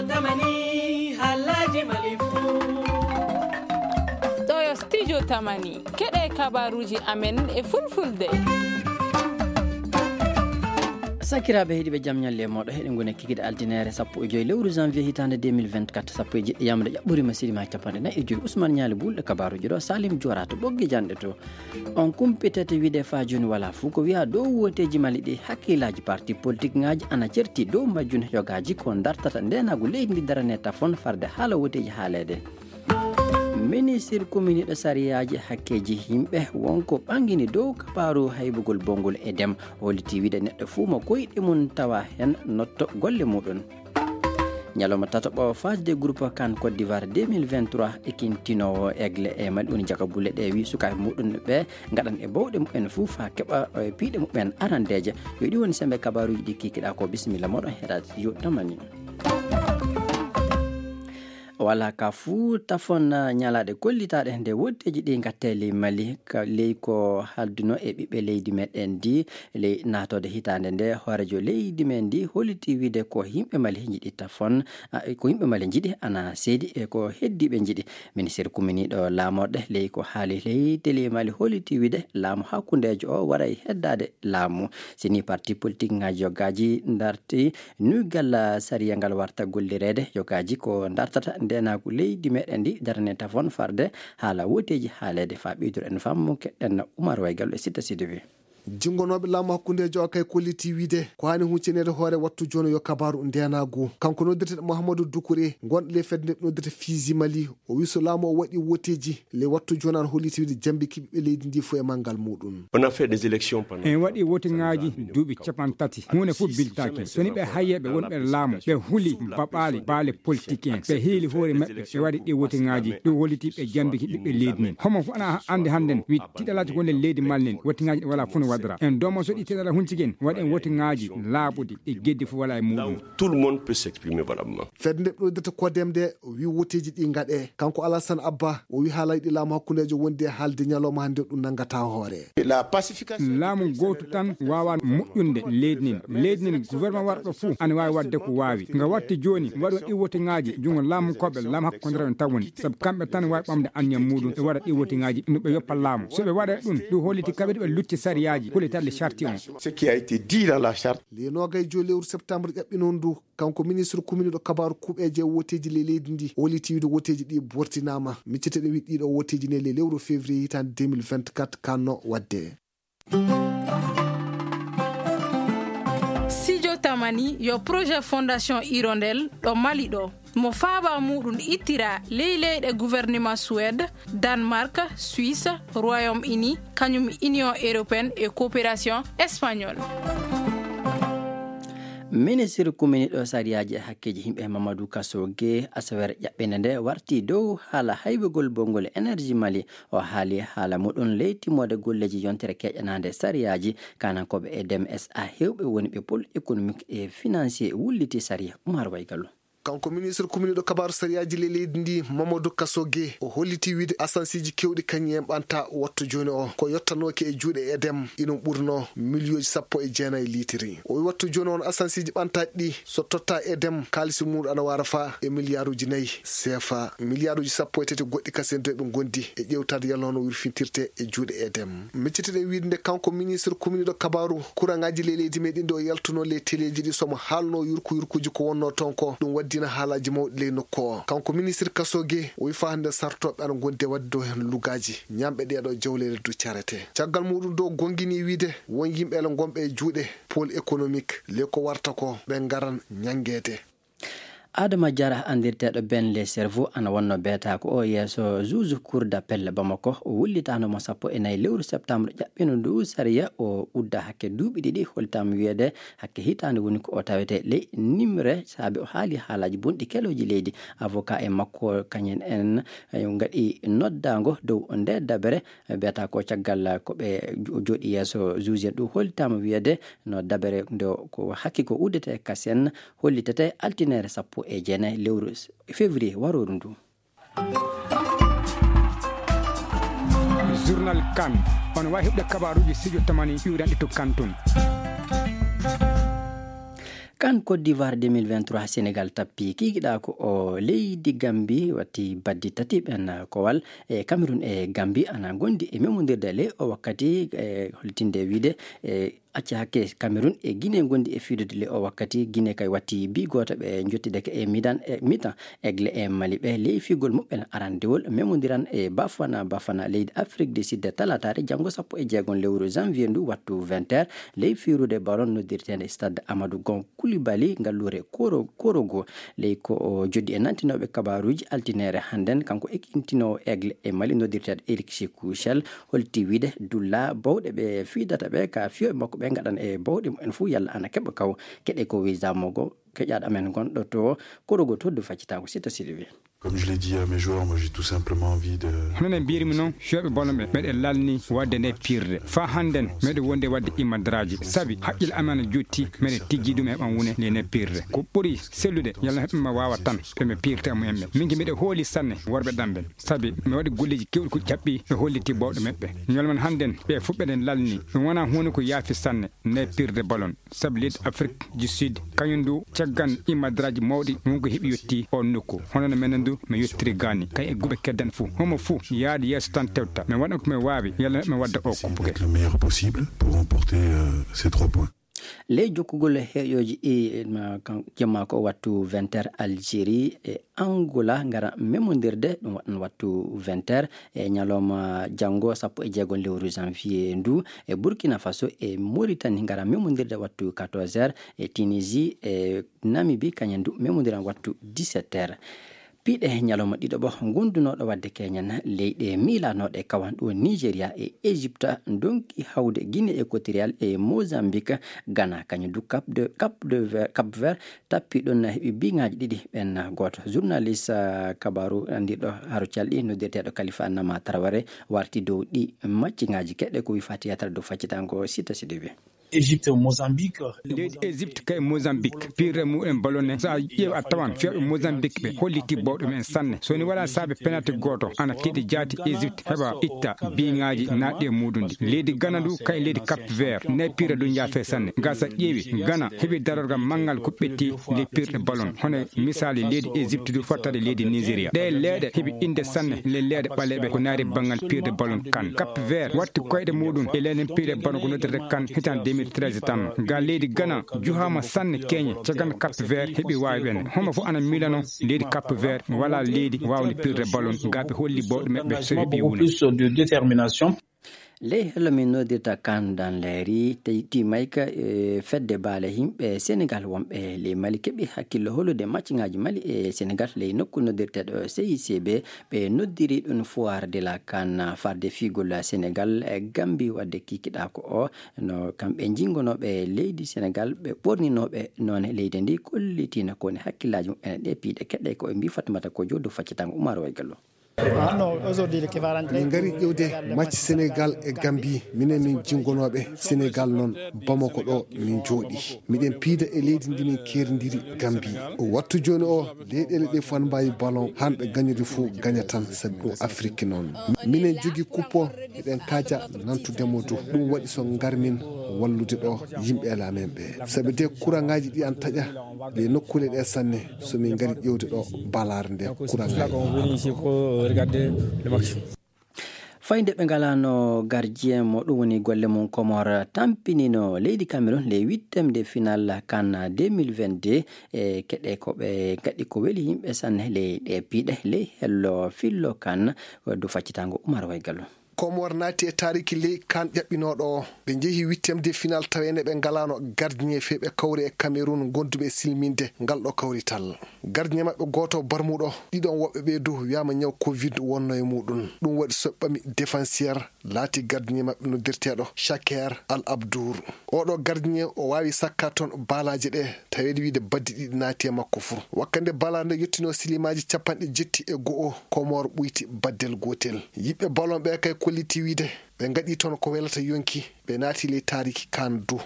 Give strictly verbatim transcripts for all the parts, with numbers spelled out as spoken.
Tamani, halaji Mali fu. Ɗo yo studio Tamani. Keɗe kabaruji amen e fulfulde. Sakiraaɓe heɗiiɓe, jam ñalle e mooɗo. Heɗen ngoni e kikiiɗe altine sappo e joy lewru janvier hitaande deux mille vingt-quatre, sappo e jeɗɗi yamre ƴaɓɓorima sirima e capanɗe nayi e joy. Ousmane Ñaali Bulɗo kabaruji ɗo, Salim Joora to ɓoggi janɗe to. On kumpitete wiide faa jooni walaa fuu ko wiyaa dow wooteeji Mali ɗi, hakkillaaji parti politik ŋaaji ana certi dow majjun, yogaaji ko dartata ndeenaagu leydi ndi darane tafon farde haala wooteeji haaleede. Ministir kuminiiɗo sariyaaji hakkeeji yimɓe wonko ɓangini dow kabaaru haybugol bongol e dem, holliti wiide neɗɗo fuu mo koyɗe mum tawa heen notto golle muɗum. Ñalawma tataɓo phase de groupe CAN Côte d'Ivoire deux mille vingt-trois, ekintinoowo Aigle e Mali woni Jaka Bulle ɗe wi sukaaɓe muɗum ɓe ngaɗan e bawɗe mumen fuu faa keɓa, e, piiɗe mumen arandeeje. Yo ɗi woni sembe kabaaruuji ɗi kikiɗaa ko. Bisimilla mooɗon heɗaade yo tamani. Wala ka fuu tafon ñalaaɗe kollitaaɗe nde wotteeji ɗi ngattee ley Mali, ka ley ko halduno e ɓiɓɓe leydi meɗen ndi, ley naatoode hitaande nde, hooreejo leydi men ndi holliti wiide ko yimɓe Mali njiɗi tafon, a, ko yimɓe Mali njiɗi ana seedi e ko heddiiɓe njiɗi. Ministir kuminiiɗo laamorɗe ley ko haali ley télé Mali holliti wiide laamu hakkundeejo o waray heddaade laamu. Si ni parti politik ŋaaji yogaaji darti nuygal sariya ngal warta gollireede, yogaaji ko dartata ndeenaagu leydi meɗen ndi darane tafon farde haala wooteeji haaleede. Faa ɓeyduren fammu keɗen Umar Waygal e Sitta Sidibe. Jinngonooɓe laamu hakkundeejo o kay kolliti wiide ko haani huccinaneede hoore wattu jooni yo kabaaru ndeenaagu. Kanko noddirteeɗo Mouhamadou Doucouré, gonɗo ley fedde nde noddirta Fizi Mali, o wi so laamu o waɗi wooteeji ley wattu jooni, ana holliti wiide jambiki ɓiɓɓe leydi ndi fof e manngal muɗum. On a fait des élections pendant En waɗi wooteŋaaji duuɓi capanɗe tati. Huunde fof biltaaki. So ni ɓe hayyeeɓe wonɓe laamu, ɓe huli baɓaale, baale politik en, ɓe hiili hoore maɓɓe, ɓe waɗi ɗi wooteŋaaji, ɗum holliti ɓe jambiki ɓiɓɓe leydi nen. Homo fof ana anndi hannden, wi tiɗalaaji ko nder leydi Mali nen, wooteŋaaji ɗi walaa fof no waɗira. En domo so ɗi tiɗalaa hunciki en, waɗen wooteŋaaji laaɓuɗi, ɗi geddi fof walaa e muɗum. Tout le monde peut s'exprimer valablement. Fedde nde ɓe noddirta CODEM nde wi wooteeji ɗi ngaɗe. Kanko Alassane Abba, o wi haalaaji ɗi laamu hakkundeejo wondi e haalde ñalawma hannde ɗum nanngataa hoore. La pacification. Laamu gootu tan waawaa moƴƴunde leydi nin. Leydi nin, gouvernement warɗo fof ana waawi waɗde ko waawi. Nga watti jooni, waɗo ɗi wooteŋaaji, junngo laamu koɓe, laamu hakkundeejo tan woni. Sabu kamɓe tan waawi ɓamde anniya muɗum, ɓe waɗa ɗi wooteŋaaji, no ɓe yoppa laamu. So ɓe waɗa ɗum, ɗum holliti kamɓe ɓe lutti sariyaaji, ko le tardé charte on. Ce qui a été dit dans la charte. Le noogay joy lewru septembre ƴaɓɓinoon ndu, kanko ministre kuminiiɗo kabaaru kuuɓeeje e wooteeji ley leydi ndi, o holliti wiide wooteeji ɗi bortinaama. Miccete ɗe wi ɗiɗo wooteeji ne ley lewru février hitaande deux mille vingt-quatre kanno waɗde. Sijo Tamani yo projet Fondation Hirondelle ɗo Mali ɗo. Mo faaba muɗum ittira ley leyɗe gouvernement Suède, Danemark, Suisse, Royaume-Uni, kañum Union Européenne e Coopération Espagnole. Ministre kuminiiɗo sariyaaji e hakkeeji yimɓe Mamadou Kasso Gueye, asawere ƴaɓɓinde nde warti dow haala haybugol bongol énergie Mali. O haali haala muɗum ley timmoode golleeji yontere keƴanaande sariyaaji. Kanankooɓe e dem S A heewɓe woni ɓe pôle économique et financier wulliti sariya. Oumar Waygallo. Kanko ministre kuminiiɗo kabaaru sariyaaji ley leydi ndi, Mamadou Kasso Gueye, o holliti wiide asansiiji keewɗi kañum en ɓanta wattu jooni o. Ko yottanooki e juuɗe edem, inon ɓurno miliyooji sappo e jeenayi liitiri. O wi wattu jooni on asansiiji ɓantaaɗi ɗi, so totta edem, kaalisi muɗum ana wara fa e miliyaaruuji nayi C F A. Miliyaaruuji sappo e tati goɗɗi kasen doy ɓe ngondi e ƴeewtaade yalno no wirfintirte e juuɗe edem. Miccitiɗen wiide nde kanko ministre kuminiiɗo kabaaru kuraŋaaji ley leydi meɗen nde o yaltuno ley teleeji ɗi somo haalno yurku yurkuuji ko wonno toon ko, ɗum waddina haalaaji mawɗi ley nokku o. Kanko ministre Kasso Gueye o wi fa hannde sartooɓe ana ngondi e waɗde dow heen lugaaji, ñaamɓe ɗeeɗo jawleele du carete. Caggal muɗum dow gongini wiide won yimɓe ele ngonɓe e juuɗe pôle économique, le ko warta ko ɓe ngaran ñanngeede. Adama Diarra, anndirteeɗo Ben le Cerveau, ana wonno beetaako o yeeso juge cour d'appel Bamako. O wullitaano mo sappo e nayi lewru septembre ƴaɓɓino ndu sariya, o udda hakke duuɓi ɗiɗi, hollitaama wiyeede hakke hitaande woni ko o tawete ley nimre, saabe o haali haalaaji bonɗi kelooji leydi. Avocat en makko kañum en, eh, ngaɗi noddaango dow nde dabere, beetaako caggal ko ɓe jo-, jooɗi yeeso juge en ɗum, hollitaama wiyeede no dabere nde ko hakke ko uddete kasen, hollitete altine sappo e jeenayi lewru s-, février warooru ndu. Journal Kan. On waawi heɓde kabaaruuji studio Tamani iwranɗi to Kan tun. Kan Côte d'Ivoire deux mille vingt-trois, Sénégal tappi kiikiɗa ko o leydi Gambi watti baddi tati ɓen kowal e Cameroun e Gambi ana gondi e memondirde ley o wakkati e holtinde wiide e acca hakke Cameroun e Guinée gondi e fiidude ley o wakkati. Guinée kay watti bi gooto ɓe jottideke e midan e mitan egle e Mali ɓe ley fiigol muɓɓen arandewol memondiran e Bafana Bafana leydi Afrique du Sud talataare janngo sappo e jeegom lewru janvier ndu wattu vingt heures ley fiirude baron noddirteende stade Amadou Gon Koulibaly, ngalluure Koro-, Korogo. Ley ko o joddi e nantinooɓe kabaaruuji altineere hannden, kanko ekintinoowo Aigle e Mali noddirteeɗo Eric Shekou Shell, holti wiide dulla bawɗe ɓe fiidata ɓe, ka fiyooɓe makko ɓe ngaɗan e bawɗe mumen fuu, yalla ana keɓa kaw. Keɗe ko wisa mogo, keƴaaɗo amen gonɗo to Korogo to du faccitaango Sita Sidibé. Comme je l'ai dit à mes joueurs, moi j'ai tout simplement envie de... Hono no mbiyirmi noon, fiyooɓe ballon ɓe, meɗen lalni waɗde nde piirde. Faa hannden, meɗen wondi e waɗde imadraaji. Sabi, haqqille am ana jotti, meɗen tijji ɗum heɓan wune nde nde piirde. Ko ɓuri sellude, yalla heɓe ma waawa tan, ɓe mi piirta e mumen ɓe. Min ki miɗo hooli sanne, worɓe ɗam ɓen. Sabi, mi waɗi golleeji keewɗi ko ƴaɓɓi, ɓe holliti bawɗe maɓɓe. Ñalawma hannden, ɓe fof ɓeɗen lalni. Ɗum wonaa huunde ko yaafi sanne, nde piirde ballon. Sabu leydi Afrique du Sud, kañum ndu caggan imadraaji mawɗi wonko heɓi yetti oon nokku. Hono no menen ndu mi yettiri gaani, kay e guɓe keddan fof. Homo fof yaade yeeso tan tewta. Mi waɗa ko mi waawi, yalla mi wadda o kuppugel. Être le meilleur possible pour remporter, euh, ces trois points. Ley jokkugol heƴooji ɗi, ma, kan-, jemma ko wattu vingt heures Algérie e Angola ngara memondirde, ɗum waɗan wattu vingt heures. E ñalawma janngo, sappo e jeegom lewru janvier ndu, e Burkina Faso e Mauritanie ngara memondirde wattu quatorze heures, e Tunisie e Namibie kañum du memondiran wattu dix-sept heures. Piiɗe ñalawma ɗiɗo ɓo, gondunooɗo waɗde keñen leyɗe miilanooɗe kawan ɗo Nigeria e Égypte, ndonki hawde Guinée Équatoriale e Mozambique, Ghana kañum du Cap de, Cap de Ver-, Cap Vert, tappi ɗon heɓi biŋaaji ɗiɗi ɓen gooto. Journaliste, ah, kabaaru anndirɗo haro calɗi noddirteeɗo Khalifa Nama Traoré warti dow ɗi macciŋaaji. Keɗe ko wi Fatiya Tara dow faccitango Sita Sidibé. Égypte, Mozambique. Leydi Égypte kay Mozambique, piirre mumen ballon ne. So a ƴeew a tawan fiyooɓe Mozambique ɓe holliti bawɗe mumen sanne. So ni wala saabe penalty gooto, ana tiiɗi jaati Égypte heɓa itta biŋaaji naatɗi e muɗum ɗi. Leydi Ghana du kay leydi Cap Vert, ne piirre du yaafe sanne. Ga sa ƴeewi, Ghana heɓi darorgal manngal ko ɓetti ley piirɗe ballon. Hono misaali leydi Égypte du fottade leydi Nigeria. Ɗe leeɗe heɓi innde sanne ley leeɗe ɓaleeɓe ko naari banngal piirde ballon kan. Cap Vert watti koyɗe muɗum e leyɗe piirɗe ballon ko noddirde kan hitaande deux mille treize tan. Ga leydi Ghana juhaama sanne keñe, caggal Cap Vert heɓi waawi ɓen. Homo fof ana miilano leydi Cap Vert wala leydi waawde piirde ballon. Ga ɓe holli bawɗe maɓɓe so heɓi wune. Plus de détermination. Ley hello min noddirta kan dan leeri, te-, timayka, e fedde baale yimɓe Senegal wonɓe ley Mali keɓi hakkillo holude macciŋaaji Mali e Senegal ley nokku noddirteeɗo C I C B. Ɓe noddiri ɗum Foire de la CAN, farde fiigol Senegal e Gambi wadde kikiɗa ko o. No kamɓe jingonooɓe leydi Senegal, ɓe ɓorninooɓe noone leydi ndi, kollitiino ko woni hakkillaaji muɓɓen e ɗe piiɗe keɗɗe ko ɓe mbii Fatimata Kojo dow faccitango Umar Waygallo. Min ngari ƴewde match Senegal e Gambie. Minen min jingonooɓe Senegal noon, Bamako ɗo min jooɗi. Miɗen piida e leydi ndi min keerndiri, Gambie. O wattu jooni o, leyɗeele ɗe fof ana mbaawi ballon, han ɓe gañude fof gaña tan, sabi ɗum Afiriki noon. Minen jogii kuppo, miɗen kaaja nantude mo du. Ɗum waɗi so ngarmin wallude ɗo yimɓe e laamen ɓe. Sabi de kuraŋaaji ɗi ana taƴa, ɗe nokkuule ɗe sanne, so min ngari ƴewde ɗo balaare nde kuraŋaaji. Fayde ɓe ngalaano gardien mo ɗum woni golle mum Comores tampinino leydi Cameroun ley huitième de finale CAN deux mille vingt-deux. E keɗe ko ɓe gaɗi ko weli yimɓe sanne ley ɗe piiɗe ley hello fillo CAN. Waddu faccitango Umar Waygallo. Comores naati e taariki ley CAN ƴaɓɓinooɗo o. Ɓe njehi huitième de finale taweende ɓe ngalaano gardien fee ɓe kawri e Cameroun gonduɓe e silminde ngal ɗo kawrital. Gardien maɓɓe gooto barmuɗo, ɗiɗon woɓɓe ɓe du wiyaama ñaw covid wonno e muɗum. Ɗum waɗi so ɓami défenseur laati gardien maɓɓe noddirteeɗo Shaker Al Abdour. Oɗo gardien o waawi sakka toon baalaaje ɗe, taweede wiide baddi ɗiɗi naati e makko fuu. Wakkande balaare nde yettinoo silimaaji capanɗe jetti e go'o, Comores ɓuyti baddel gootel. Yiɓɓe ballon ɓe kay kolliti wiide ɓe ngaɗi toon ko welata yonki, ɓe naati ley taariki CAN du.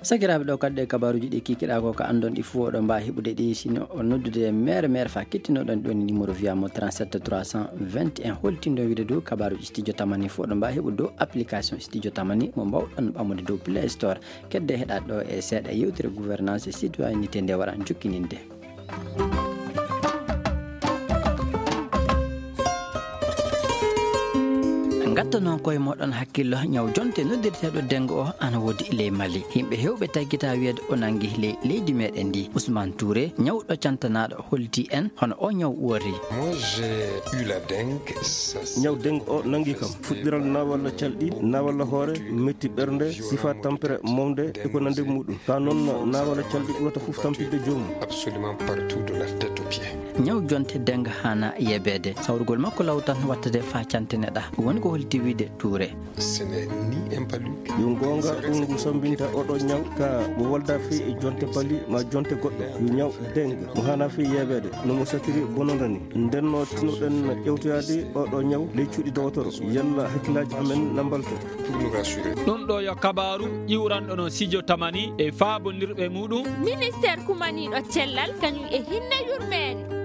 Sakiraaɓe, ɗo kadi ɗe kabaaruuji ɗi kikiɗaa ko, ko anndon ɗi fof, oɗon mbaawi heɓude ɗi sino o noddude mere mere fa kettinoɗon ɗon numéro via mo trente-sept trois cent vingt et un. Holtindo wiide dow kabaaruuji Studio Tamani fof, oɗon mbaawi heɓude dow application Studio Tamani mo mbaawɗon ɓamude dow Play Store. Kedde heɗaade ɗo e seeɗa yewtere gouvernance et citoyenneté nde waran jokkininde. Ngatta noon koye moɗon hakkillo, ñaw jonte noddirteeɗo dengue o ana woodi ley Mali. Yimɓe heewɓe taggita wiyeede o nangi ley leydi meɗen ndi. Ousmane Touré, ñawɗo cantanaaɗo, holti en hono o ñaw woori. Moi, j'ai eu la dengue. Ñaw dengue o nangi kam. Fuɗɗiral naawalla calɗi, naawalla hoore, metti ɓernde, sifa tampere mawde e ko nande muɗum. Ka noon naawalla calɗi ɓurata fof tampinde joomum. Absolument partout de la tête aux pieds. Ñaw jonte dengue hana yebeede. Sawrugol makko law tan wattade fa cantine ɗa. Woni ko holti wiide Touré. Ce n'est ni un palu. Yo goonga, ɗum ngu sambinta oɗo ñaw ka mo wolda fii e jonte pali ma jonte goɗɗo. Yo ñaw dengue mo hana fii yebeede no mo satiri bononda ni. Nden no tinoɗen ƴewtoyaade oɗo ñaw ley cuuɗi dowotoro. Yalla hakkillaaji amen na mbalto. Pour nous rassurer. Ɗum ɗo yo kabaaru ƴiwranɗo no Studio Tamani e faabondirɓe muɗum. Ministeer kumaniiɗo cellal kañum e hinne yurmeende.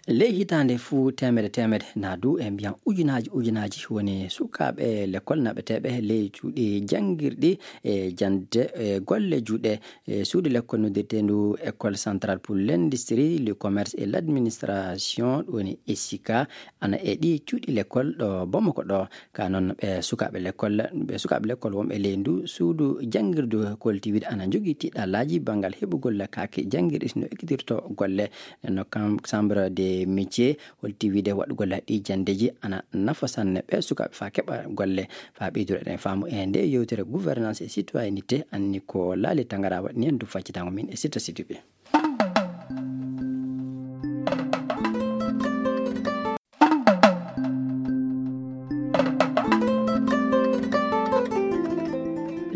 Ley hitaande fuu teemedde teemedde, na du e mbiyan ujunaaji ujunaaji woni sukaaɓe lekkol naɓeteeɓe ley cuuɗi janngirɗi e jannde e golle juuɗe. E suudu lekkol noddirteendu École Centrale pour l'Industrie, le Commerce et l'Administration, ɗum woni ECICA, ana e ɗi cuuɗi lekkol ɗo Bamako ɗo. Ka noon, ɓe sukaaɓe lekkol, ɓe sukaaɓe lekkol wonɓe ley ndu suudu janngirdu kolti wiide ana njogii tiiɗallaaji banngal heɓugol kaake janngirɗi no ekkitirto golle. No kam, Chambre des métiers holti wiide waɗugol ɗi janndeeji ana nafa sanne ɓe sukaaɓe faa keɓa golle. Faa ɓeydude ɗen faamu e nde yewtere gouvernance et citoyenneté, anni ko Laali Tangara waɗi en du faccitango min e Sita Sidibe.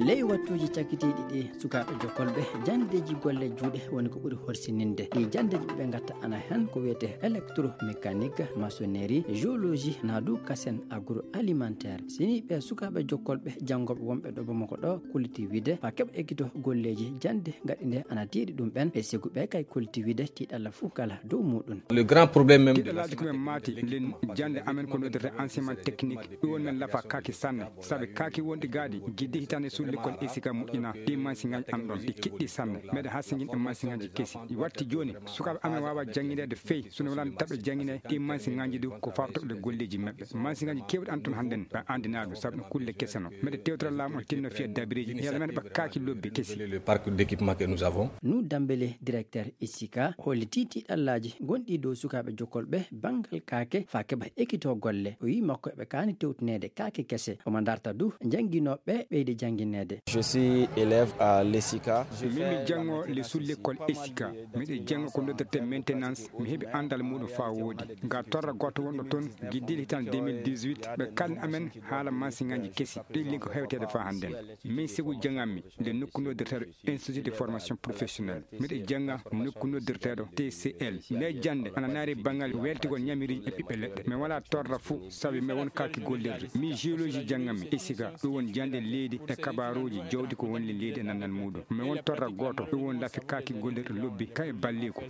Ley wattuuji cakkitiiɗi ɗi, sukaaɓe jokkolɓe janndeeji golle juuɗe woni ko ɓuri horsininde. Ɗi janndeeji ɓe ngatta ana hen ko wiyetee électromécanique, maçonnerie, géologie, na du kasen agroalimentaire. Sini ɓe sukaaɓe jokkolɓe janngooɓe wonɓe ɗo Bamako ɗo kolti wiide faa keɓa ekkito golleeji jannde ngaɗi nde ana tiiɗi ɗum ɓen. Ɓe sigu ɓe kay kolti wiide tiiɗalla fuu kala dow muɗum. Le grand problème même de la... Tiiɗallaaji ko ɓe maati nden jannde amen ko noddirta enseignement technique. Ɗum woni men lafa kaaki sanne. Sabi kaaki wonɗi gaaɗi, giddi hitaande suudu lekkol ECICA moƴƴina, ɗi mansiŋaaji an ɗon, ɗi kiɗɗi sanne. Meɗen hasingin e mansiŋaaji kesi. Ɗi watti jooni, sukaaɓe amen waawa janngineede fey, so no wonaa taɓe janngine ɗi mansiŋaaji du ko faabta ɗe golleeji maɓɓe. Mansiŋaaji keewɗi an ton hannden, ɓe anndinaa ɗum, sabu ɗum kulle kese no. Meɗe tewtora laamu o tinno fiya dabireeji, yalla men ɓe kaaki lobbi kesi. Le parc d'équipement que nous avons. Nu Dambele, directeur ECICA, hollitii tiiɗallaaji gonɗi dow sukaaɓe jokkolɓe banngal kaake faa keɓa ekkito golle. O wi'i makko eɓe kaani tewtineede kaake kese. Omo darta du jannginooɓe ɓeyde janngineede. Je suis élève à l'ESICA. Min mi janngo le suudu lekkol ESICA. Miɗo janngo ko noddirtee maintenance. Mi heɓi anndal muɗum faa wooɗi. Ga torra gooto wonɗo toon, giddiiɗe hitaande deux mille dix-huit, ɓe kalni amen haala mansiŋaaji kesi. Ɗin lin ko hewteede faa hannden. Min sigu jannganmi nde nokku noddirteeɗo Institut de formation professionnelle. Miɗo jannga nokku noddirteeɗo T C L. Nde jannde ana naari banngal weltigol ñamiriiji e ɓiɓɓe leɗɗe. Mi walaa torra fuu, sabi mi won kaaki gollirde. Mi géologie jannganmi e siga. Ɗum won jannde leydi e kabaaruuji jawdi ko woni leydi e nannal muɗum. Mi won torra gooto, ɗum won lafi kaaki gollirɗe lobbi, ka e balliku.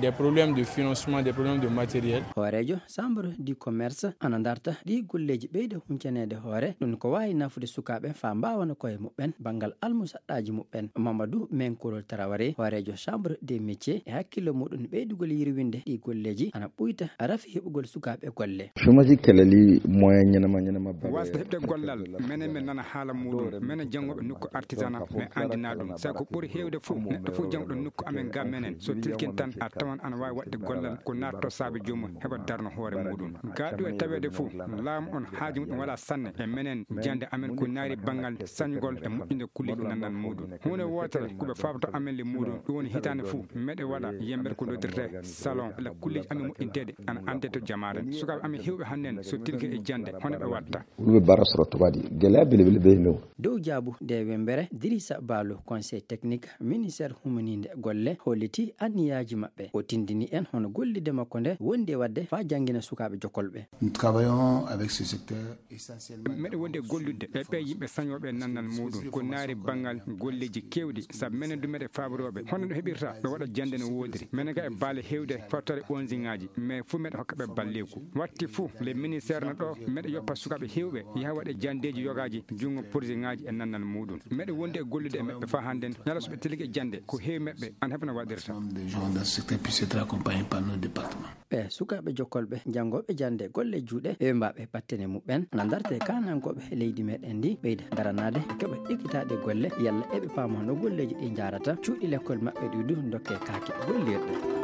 Des problèmes de financement, des problèmes de matériel. Hooreejo Chambre du Commerce ana darta ɗi golleeji ɓeyde huncaneede hoore, ɗum ko waawi nafude sukaaɓe faa mbaawana koye muɓɓen banngal almusaɗɗaaji muɓɓen. Mamadou Menkorol Traoré, hooreejo Chambre des métiers, e hakkillo muɗum ɓeydugol yirwinde ɗi golleeji ana ɓuyta rafi heɓugol sukaaɓe golle. Chômage kelali moyen ñanama ñanama bare. Wasde heɓde gollal, menen men nana haala muɗum. Menen janngooɓe nokku artisanat, men anndinaa ɗum. Sabu ko ɓuri heewde fof, neɗɗo fof jannguɗo nokku amen ga menen, so tilkin tan, a tawan ana waawi waɗde gollal ko naatto saabe joomum heɓa darno hoore muɗum. Ga ɗo e taweede fof, laamu on haaju muɗum walaa sanne e menen jannde amen ko naari banngal sañgol e moƴƴinde kulleeji nannal muɗum. Huunde wootere ko ɓe faabto amen le muɗum, ɗum woni hitaande fof, meɗe waɗa yemmbere ko noddirtee salon, la kulleeji amen moƴƴinteeɗe ana annde to jamaare. Sukaaɓe amen heewɓe hannden so tilke e jannde, hono ɓe watta? Wulɓe bara soroto waɗi gele bele bele bele mew. Dow jaabu nde wembe Re Dirisa Baalu, conseil technique ministère humaniinde golle, holliti anniyaaji maɓɓe. O tindini en hono gollidde makko nde wondi e waɗde faa janngina sukaaɓe jokkolɓe. Nous travaillons avec ce secteur essentiellement. Meɗe wondi e gollude e ɓe yimɓe sañooɓe e nannal muuɗum, ko naari banngal golleeji keewɗi, sabu menen du meɗe faabirooɓe hono no heɓirta no waɗa jannde no woodiri. Menen ga e baale heewde fottore onziŋaaji, mais fuu meɗe hokka ɓe balleeku. Watti fuu, le ministère no ɗo, meɗe yoppa sukaaɓe heewɓe yaha waɗa janndeeji yogaaji junngo porziŋaaji e nannal muuɗum. Meɗe wondi e gollude e maɓɓe faa hannden, ñala so ɓe tilike jannde, ko heewi maɓɓe an heɓa no waɗirta. Des gens dans ce secteur puissent être accompagnés par nos départements. Ɓe sukaaɓe jokkolɓe janngooɓe jannde golle juuɗe, ɓe mbaaɓe battane muɓɓen, na ndarte kaanankooɓe leydi meɗen ndi, ɓeyda daranaade, keɓa ɗigitaade golle, yalla eɓe paama no golleeji ɗi njaarata, cuuɗi lekkol maɓɓe ɗi du ndokke kaake gollirɗe.